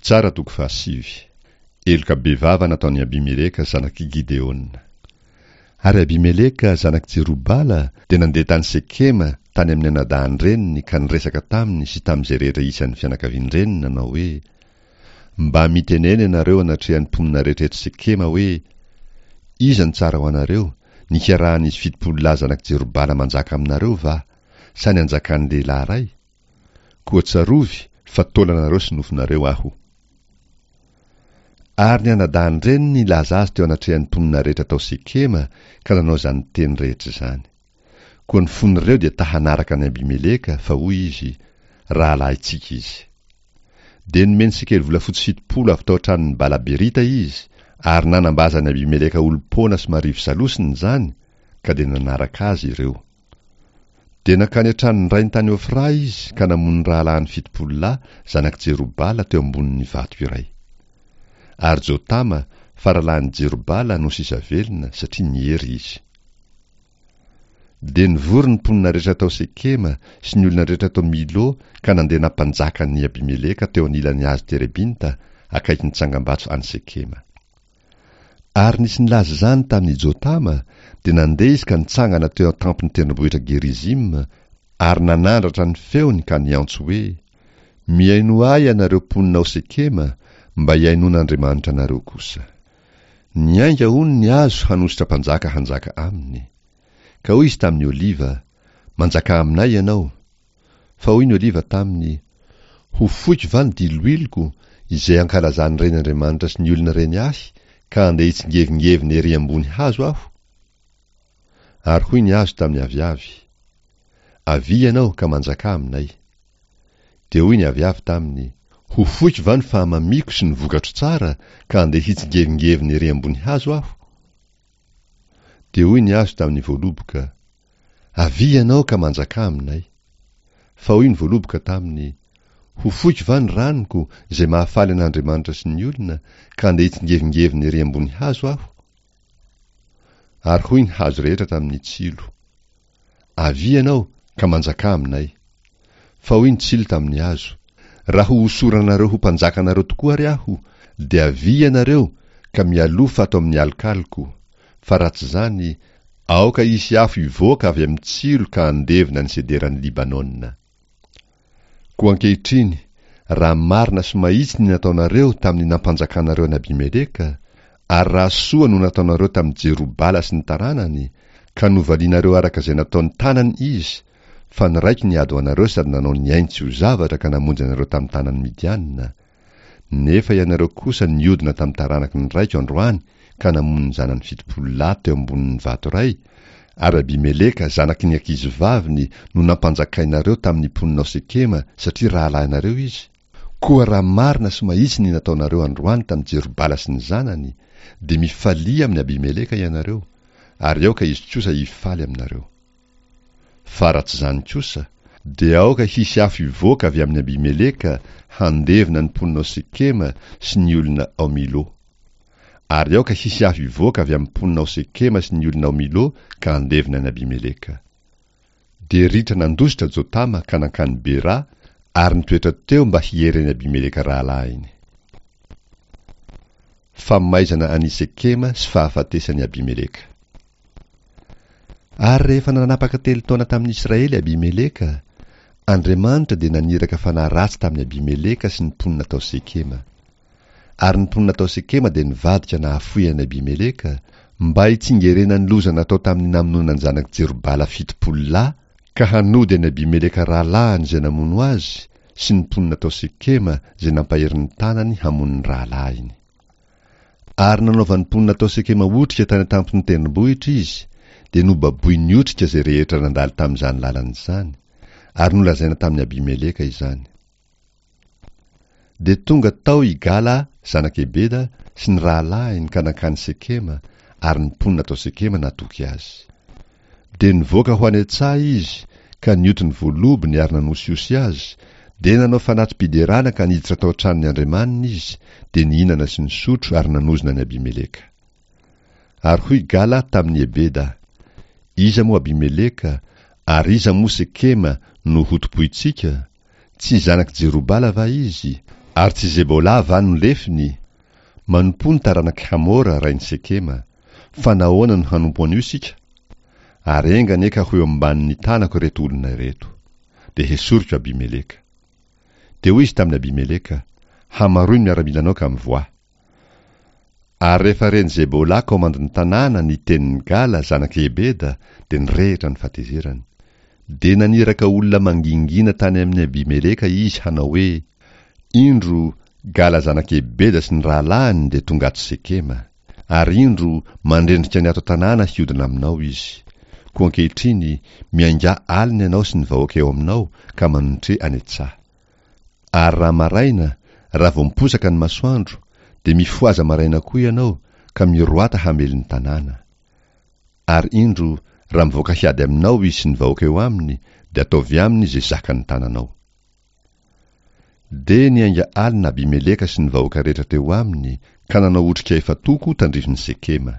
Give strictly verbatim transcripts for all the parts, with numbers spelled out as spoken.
Mpitsara toko fahasivy. Heloka bevava nataon'i Abimeleka zanak'i Gideona. Ary Abimeleka zanak'i Jerobala dia nandeha tany Sekema tany amin'ny anadahin-dreniny ka niresaka taminy sy tamin'izay rehetra isan'ny fianakavian-dreniny nanao hoe, Mba mitenena ianareo anatrehan'ny mponina rehetra eto Sekema hoe, Iza no tsara ho anareo, ny hiarahan'izy fitopolo lahy zanak'i Jerobala manjaka aminareo va, sa ny hanjakan'ny lehilahy iray? Koa tsarovy fa taolanareo sy nofonareo aho. Ary ny anadahin-dreniny nilaza azy teo anatrehan'ny mponina rehetra tao Sekema ka nanao izany teny rehetra izany. Koa ny fon'ireo dia ta-hanaraka an'i Abimeleka, fa hoy izy, Rahalahintsika izy. Dia nomeny sekely volafotsy fitopolo avy tao an-tranon'i Bala-berita izy, ary nanambazan'i Abimeleka olom-poana sy marivo salosina izany, ka dia nanaraka azy ireo. Dia nankany an-tranon-drainy tany Ofra izy ka namono ny rahalahiny fitopolo lahy, zanak'i Jerobala, teo ambonin'ny vato iray. Ary Jotama, faralahin'i Jerobala, no sisa velona, satria niery izy. Dia nivory ny mponina rehetra tao Sekema sy ny olona rehetra tao Milo ka nandeha nampanjaka an'i Abimeleka teo anilan'ny hazo terebinta, akaikin'ny tsangambato any Sekema. Ary nisy nilaza izany tamin'i Jotama, dia nandeha izy ka nitsangana teo an-tampon'ny tendrombohitra Gerizima, ary nanandratra ny feony ka niantso hoe, Mihainoa ahy ianareo mponina ao Sekema, mba hihainoan'Andriamanitra anareo kosa. Niainga hono ny hazo hanositra mpanjaka hanjaka aminy. Ka hoy izy tamin'ny oliva, Manjakà aminay ianao. Fa hoy ny oliva taminy, Ho foiko va ny diloiloko, izay ankalazan'ny reny Andriamanitra sy ny olona reny ahy, ka andeha hitsingevingevina ery ambony hazo aho? Ary hoy ny hazo tamin'ny aviavy, Avia ianao ka manjakà aminay. Dia hoy ny aviavy taminy, Ho foiko va ny fahamamiako sy ny vokatro tsara, ka andeha hitsingevingevina ery ambony hazo aho? Dia hoy ny hazo tamin'ny voaloboka, Avia ianao ka manjakà aminay. Fa hoy ny voaloboka taminy, Ho foiko va ny ranoko, izay mahafaly an'Andriamanitra sy ny olona, ka andeha hitsingevingevina ery ambony hazo aho? Ary hoy ny hazo rehetra tamin'ny tsilo, Avia ianao, ka manjakà aminay. Fa hoy ny tsilo tamin'ny hazo, Raha ho hosoranareo ho mpanjakanareo tokoa ary aho, dia avia ianareo, ka mialoha ato amin'ny alokaloko. Fa raha tsy izany, aoka hisy afo hivoaka avy amin'ny tsilo ka handevona ny sederan'i Libanona. Koa ankehitriny, raha marina sy mahitsy ny nataonareo tamin'ny nampanjakanareo an'i Abimeleka, ary raha soa no nataonareo tamin'i Jerobala sy ny taranany, ka novalianareo araka izay nataon'ny tanany izy, fa niraiko niady ho anareo sady nanao ny ainy tsy ho zavatra ka namonjy anareo tamin'ny tanan'ny Midianina, nefa ianareo kosa niodina tamin'ny taranaky ny raiko androany ka namono ny zanany fitopolo lahy teo ambonin'ny vato iray, ary Abimeleka zanaky ny ankizivaviny no nampanjakainareo tamin'ny mponina ao Sekema satria rahalahinareo izy, koa raha marina sy mahitsy ny nataonareo androany tamin'i Jerobala sy ny zanany, dia mifalia amin'i Abimeleka ianareo, ary aoka izy kosa hifaly aminareo. Fa raha tsy izany kosa, dia aoka hisy afo hivoaka avy amin'i Abimeleka handevona ny mponina ao Sekema sy ny olona ao Milo. Ary aoka hisy afo hivoaka avy amin'ny mponina ao Sekema sy ny olona ao Milo ka handevona an'i Abimeleka. Dia ritra nandositra Jotama ka nankany Bera ary nitoetra teo mba hiery an'i Abimeleka rahalahiny. Famaizana an'i Sekema sy fahafatesan'i Abimeleka. Ary rehefa nanapaka telo taona tamin'ny Israely Abimeleka, Andriamanitra dia naniraka fanahy ratsy tamin'i Abimeleka sy ny mponina tao Sekema. Ary ny mponina tao Sekema dia nivadika nahafoy an'i Abimeleka, mba hitsingerenan'ny loza natao tamin'ny namonoana ny zanak'i Jerobala fitopolo lahy, ka hanody an'i Abimeleka rahalahiny izay namono azy, sy ny mponina tao Sekema izay nampahery ny tanany hamono ny rahalahiny. Ary nanaovan'ny mponina tao Sekema otrika tany an-tampon'ny tendrombohitra izy, dia nobaboin'ny otrika izay rehetra nandalo tamin'izany lalana izany, ary nolazaina tamin'i Abimeleka izany. Dia tonga tao i Gala zanak'i Ebeda sy ny rahalahiny ka nankany Sekema, ary ny mponina tao Sekema natoky azy. Dia nivoaka ho any an-tsaha izy ka nioty ny voalobony ary nanosihosy azy, dia nanao fanati-piderana ka niditra tao an-tranon'ny andriamaniny izy, dia nihinana sy nisotro ary nanozona an'i Abimeleka. Ary hoy Gala tamin'i Ebeda, Iza moa Abimeleka, ary iza moa Sekema no hotompointsika? Tsy zanak'i Jerobala va izy, Ary tsy Zebola va no lefiny? Manompoa ny taranak'i Hamora rain'i Sekema. Fa nahoana no hanompo an'io isika? Ary enga anie ka ho eo ambanin'ny tanako ireto olona ireto. Dia hesoriko Abimeleka. Dia hoy izy tamin'i Abimeleka, Hamaroy ny miaramilanao ka mivoaha. Ary rehefa ren'i Zebola komandin'ny tanàna ny tenin'i Gala zanak'i Ebeda, dia nirehitra ny fahatezerany. Dia naniraka olona mangingina tany amin'i Abimeleka izy hanao hoe, Indro, Gala zanak'i Ebeda sy ny rahalahiny dia tonga ato Sekema. Ary indro, mandrendrika ny ato an-tanàna hiodina aminao izy. Koa ankehitriny, miaingà alina ianao sy ny vahoaka eo aminao, ka manontre any an-tsaha. Ary raha maraina, raha vao miposaka ny masoandro, dia mifohaza maraina koa ianao, ka miroata hamely ny tanàna. Ary indro, raha mivoaka hiady aminao izy sy ny vahoaka eo aminy, dia ataovy aminy izay zakan'ny tananao. Dia niainga alina Abimeleka sy ny vahoaka rehetra teo aminy, ka nanao otrika efa-toko tandrifin'i Sekema.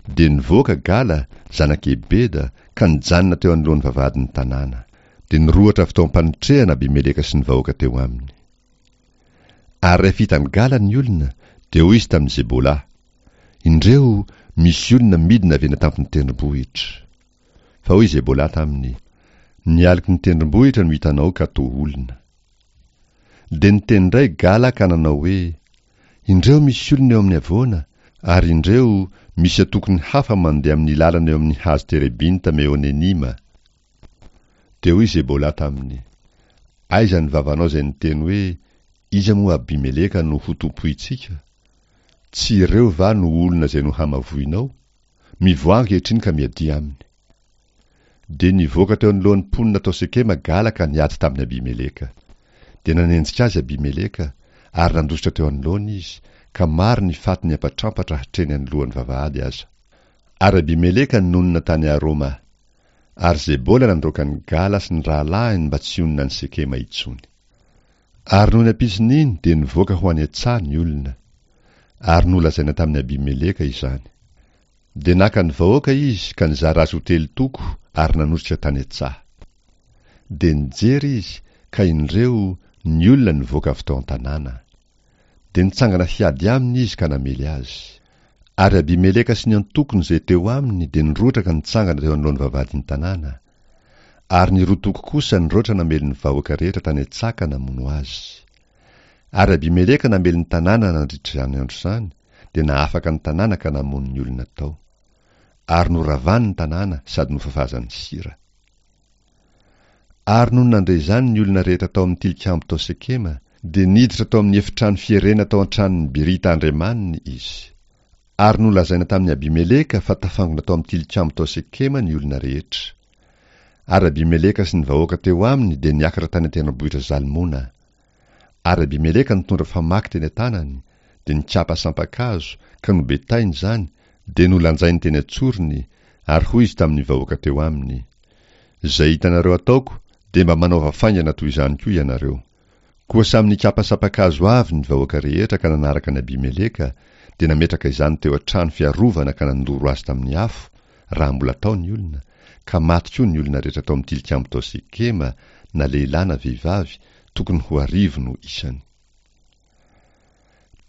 Dia nivoaka Gala, zanak'i Ebeda, ka nijanona teo anoloan'ny vavahadin'ny tanàna. Dia nirohotra avy tao am-panotrehana Abimeleka sy ny vahoaka teo aminy. Ary rehefa hitan'i Gala ny olona, dia hoy izy tamin'i Zebola, Indreo, misy olona midina avy eny an-tampon'ny tendrombohitra. Fa hoy Zebola taminy, Ny aloky ny tendrombohitra no hitanao ka toa olona. Dia niteny indray Gala ka nanao hoe, Indreo misy olona eo amin'ny havoana, ary indreo, misy antokony hafa mandeha amin'ny lalana eo amin'ny hazo terebinta Meonenima. Dia hoy Zebola taminy, Aiza ny vavanao izay niteny hoe, Iza moa Abimeleka no ho tompointsika? Tsy ireo va no olona izay nohamavoinao? Mivoaha ankehitriny ka miadia aminy. Dia nivoaka teo anoloan'ny mponina tao Sekema Gala ka niady tamin'i Abimeleka. Dia nanenjika azy Abimeleka, ary nandositra teo anoloany izy, ka maro ny faty niampatrampatra hatreny anoloan'ny vavahady aza. Ary Abimeleka nonina tany Aroma. Ary Zebola nandroaka an'i Gala sy ny rahalahiny mba tsy honina any Sekema intsony. Ary nony ampitson'iny dia nivoaka ho any an-tsaha ny olona. Ary nolazaina tamin'i Abimeleka izany. Dia naka ny vahoaka izy ka nizara azy ho telo toko ary nanosika tany an-tsaha. Dia nijery izy, ka indreo, ny olona nivoaka avy tao an-tanàna. Dia nitsangana hiady aminy izy ka namely azy. Ary Abimeleka sy ny antokony izay teo aminy dia nirohotra ka nitsangana teo anoloan'ny vavahadin'ny tanàna. Ary ny roa toko kosa nirohotra namely ny vahoaka rehetra tany an-tsaha ka namono azy. Ary Abimeleka namely ny tanàna nandritra izany andro izany, dia nahafaka ny tanàna ka namono ny olona tao. Ary noravany ny tanàna sady nofafazany sira. Ary nony nandre izany ny olona rehetra tao amin'ny tilikambo tao Sekema, dia niditra tao amin'ny efitrano fierena tao an-tranon'i Berita andriamaniny izy. Ary nolazaina tamin'i Abimeleka fa tafangona tao amin'ny tilikambo tao Sekema ny olona rehetra. Ary Abimeleka sy ny vahoaka teo aminy dia niakatra tany an-tendrombohitra Zalmona. Ary Abimeleka nitondra famaky teny an-tanany, dia nikapa sampan-kazo, ka nobetainy izany, dia nolanjainy teny an-tsorony, ary hoy izy tamin'ny vahoaka teo aminy, Izay hitanareo ataoko, dia mba manaova faingana toy izany koa ianareo. Koa samy nikapa sampan-kazo avy ny vahoaka rehetra ka nanaraka an'i Abimeleka, dia nametraka izany teo an-trano fiarovana ka nandoro azy tamin'ny afo, raha mbola tao ny olona, ka maty koa ny olona rehetra tao amin'ny tilikambo tao Sekema, na lehilahy na vehivavy, tokony ho arivo no isany.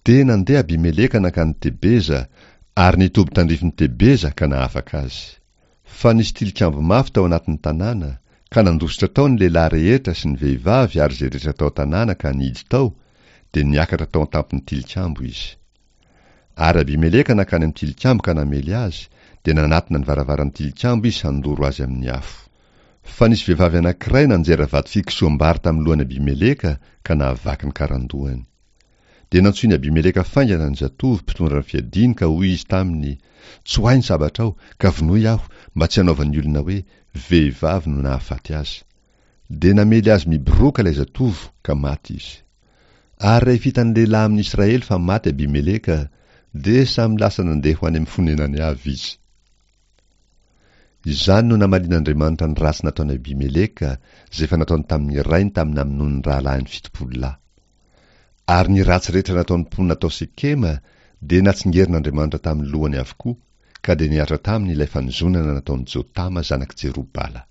Dia nandeha Abimeleka nankany Tebeza, ary nitoby tandrifin'i Tebeza ka nahafaka azy. Fa nisy tilikambo mafy tao anatin'ny tanàna, ka nandositra tao ny lehilahy rehetra sy ny vehivavy ary izay rehetra tao an-tanàna ka nihidy tao, dia niakatra tao an-tampon'ny tilikambo izy. Ary Abimeleka nankany amin'ny tilikambo ka namely azy, dia nanatona ny varavaran'ny tilikambo izy handoro azy amin'ny afo. Fa nisy vehivavy anankiray nanjera vato fikosoham-bary tamin'ny lohan'i Abimeleka ka nahavaky ny karandohany. Dia nantsoin'i Abimeleka faingana ny zatovo mpitondra ny fiadiany ka hoy izy taminy, Tsoahy ny sabatrao, ka vonoy aho, mba tsy hanaovan'ny olona hoe, Vehivavy no nahafaty azy. Dia namely azy miboroaka ilay zatovo, ka maty izy. Ary rehefa hitan'ny lehilahy amin'ny Israely fa maty Abimeleka, dia samy lasa nandeha ho any amin'ny fonenany avy izy. Izany no namalian'Andriamanitra ny ratsy nataon'i Abimeleka, izay efa nataony tamin'ny rainy tamin'ny namonoany ny rahalahiny fitopolo lahy. Ary ny ratsy rehetra nataon'ny mponina tao Sekema dia natsingerin'Andriamanitra tamin'ny lohany avokoa, ka dia nihatra taminy ilay fanozonana nataon'i Jotama zanak'i Jerobala.